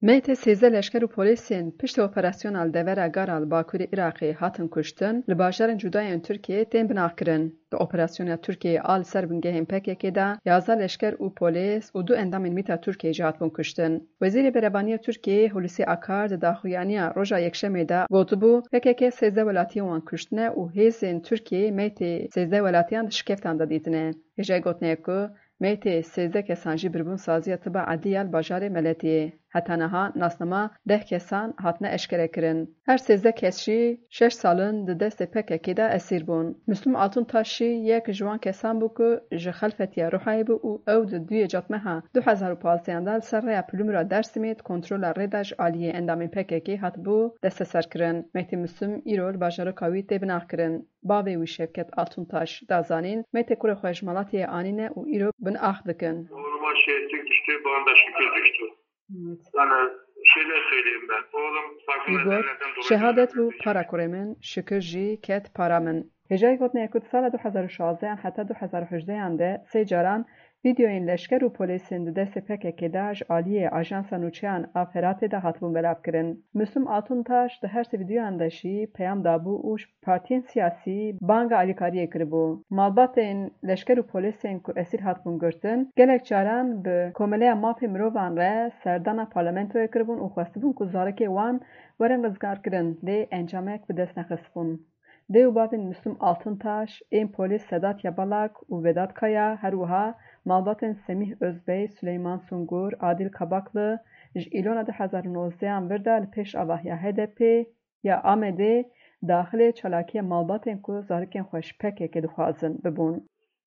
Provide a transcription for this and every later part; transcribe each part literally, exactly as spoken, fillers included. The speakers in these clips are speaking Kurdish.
Meytê sêzdeh leşker û polîsên piştî operasyona li devera Gara li bakurê Iraqê hatin kuştin, li bajarên cuda yên Tirkiyeyê tên binaxkirin. Di operasyona Tirkiyeyê a li ser bingehên P K K de yazdeh leşker û polîs û du endamên mîta Tirkiyeyê jî hatibûn kuştin. Wezîrê Berevaniyê Tirkiyeyê Hulusi Akar di daxuyaniya roja Yekşemê de gotibû, P K K sêzdeh welatiyên wan kuştine û hêzên Tirkiyeyê meytê sêzdeh welatiyan di şikeftan de dîtine. Hêjayî gotinê ye ku meytê sêzdeh kesan jî biribûn saziya tiba edlî ya li bajarê Meletiyê. Heta niha nasnama deh kesan hatine eşkerekirin. Her sêzdeh kes jî şeş sal in di destê P K K de esîr bûn. Müslüm Altuntaş jî yek ji wan kesan bû ku ji Xelfetiya Ruhayê bû û ew di duyê Cadmeha du hezar û pazdeh de li ser rêya Pilimura Dêrsimê di kontrola rê de ji aliyê endamên P K K hatibû desteserkirin. Meytê Müslüm îro li bajaroka wî tê binaxkirin. Bavê wî Şevket Altuntaş da zanîn, meytê kurê xwe ji Malatiyê anîne û îro binax dikin. Oğluma şehitlik düştü, bana da şükür düştü. Evet. Yani şeyler söyleyeyim ben. Oğlum farklı Wî got, nedenlerden dolayı Şehadet bû gözaltına para kurê min, şikir jî ket para min. Hêjayî gotinê ye ku di sala du hezar û şazdeh heta du hezar û hejdeh de sê caran vîdeoyên leşker û polîsên di destê P K K de ji aliyê Ajansa Nûçeyan a Feratê de hatibûn belavkirin. Müslüm Altuntaş di her sê vîdeoyan de jî peyam dabû û ji partiyên siyasî banga alîkariyê kiribû. Malbatên leşker û polîsên ku esîr hatibûn girtin, gelek caran bi Komeleya Mafê Mirovan re serdana parlamentoyê kiribûn û xwestibûn ku zarokê wan werin rizgarkirin, lê encamek bi dest nexistibûn. Dê û bavên Müslüm Altuntaş, ên polîs Sedat Yabalak û Vedat Kaya, her wiha malbatên Semîh Özbey, Süleyman Sungur, Adil Kabaklı, ji Îlona du hezar û nozdeh an vir de li pêş avahiya H D P ya Amedê daxilê çalakiya malbatên ku zarokên xwe ji P K K dixwazin bibûn.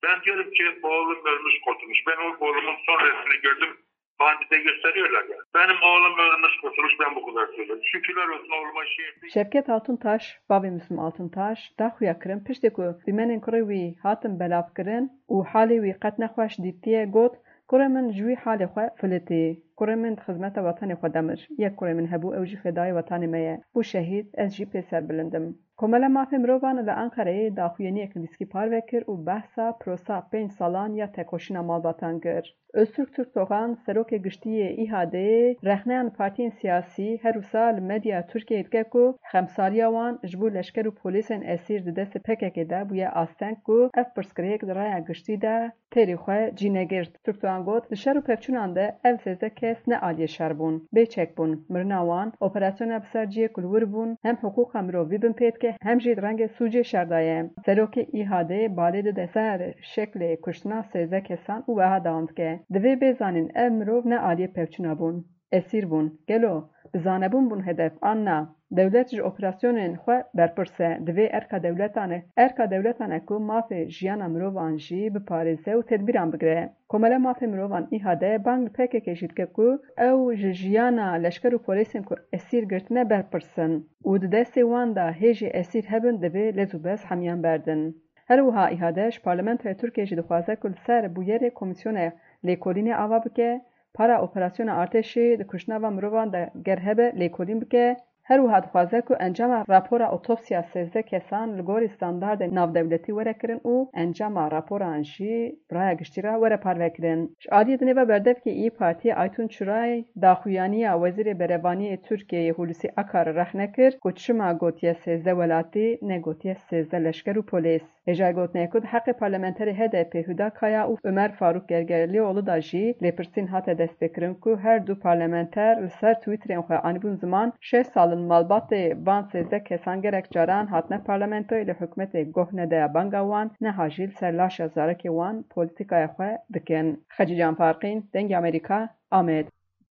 Ben diyorum ki oğlum ölmüş kurtulmuş. Ben o oğlumun son resmini gördüm. Bandide gösteriyorlar ya. Benim oğlum ölmüş kurtulmuş, ben bu kadar söylüyorum. Şükürler olsun oğluma şehitlik. Şevket Altuntaş, bavê Müslüm Altuntaş, da xuya kirin piştê ku dîmenên kurê wî hatin belavkirin û halê wî qet nexweş dîtiye, got, Kurê min ji wî halê xwe filitî. Kurê min di xizmeta wetanê xwe de mir. Yek kurê min hebû, ew jî fedayê wetanê me ye. Bû şehîd, ez jî pê serbilind im. Komela Mafê Mirovan li Enqereyê daxuyaniyek nivîskî parve kir û behsa prosa pênc salan ya tekoşîna malbatan kir. Öztürk Türkdoğan, serokê giştî yê İHA'dê, rexneyan partiyên siyasî her wisa li medya Tirkiyeyê dike ku xemsariya wan ji bo leşker û polîsên esîr di destê P K K de bûye asteng ku ev pirsgirêk di raya giştî de têrî xwe cî negirt. Türkdoğan got, di şer û pevçûnan de ev sêzdeh kes ne aliyê şer bûn, bêçek bûn. Mirina wan, operasyona bi ser cihê ku li wir bûn, hem hiqûqa mirovî bin pê dike, hem jî di rengê sûcê şer de ye. Serokê İHA'dê balê dide ser şeklê kuştina sêzdeh kesan û wiha dewam dike, Divê bê zanîn ev mirov ne aliyê pevçûna bûn. Esîr bûn. Gelo bi zanebûn bûn hedef an na? Dewlet ji operasyonên xwe berpirs e. Divê erka dewletan e, erka dewletan e ku mafê jiyana mirovan jî biparêze û tedbîran bigire. Komela Mafê Mirovan İHA'dê bang li P K K jî dike ku ew ji jiyana leşker û polîsên ku esîr girtine berpirs in û di destê wan de hê jî esîr hebin, divê lez û bez hemiyan berdin. Her wiha İHA'dê ji Parlamentoya Tirkiyê jî dixwaze ku li ser bûyerê komîsyona lêkolînê ava bike, para operasyona artêşê di kuştina van mirovan de ger hebe lêkolîn bike. Her wiha dixwaze ku encama rapora otopsiya sêzdeh kesan li gorî standardên navdewletî were kirin û encama raporan jî bi raya giştî re were parvekirin. Ji aliyê dinê ve berdevkê İYİ Partiyê Aytun Çuray daxuyaniya Wezîrê Berevaniyê Tirkiyeyê Hulusi Akar'î rexne kir ku çima gotiye sêzdeh welatî, negotiye sêzdeh leşker û polîs. Hêjayî gotinê ye ku di heqê parlamenterê H D P Huda Kaya û Ömer Faruk Gergerlioğlu de jî lêpirsîn hate destpêkirin ku her du parlamenter li ser Twitterên xwe anîbûn ziman, şeş sal in malbatê van sêzdeh kesan gelek caran hatine parlamentoyê, lê hikûmetê guh nedaye banga wan, niha jî li ser laşa zarokê wan polîtîkaya xwe dikin. Xecîcan Farqîn, Dengê Amerîka, Amed.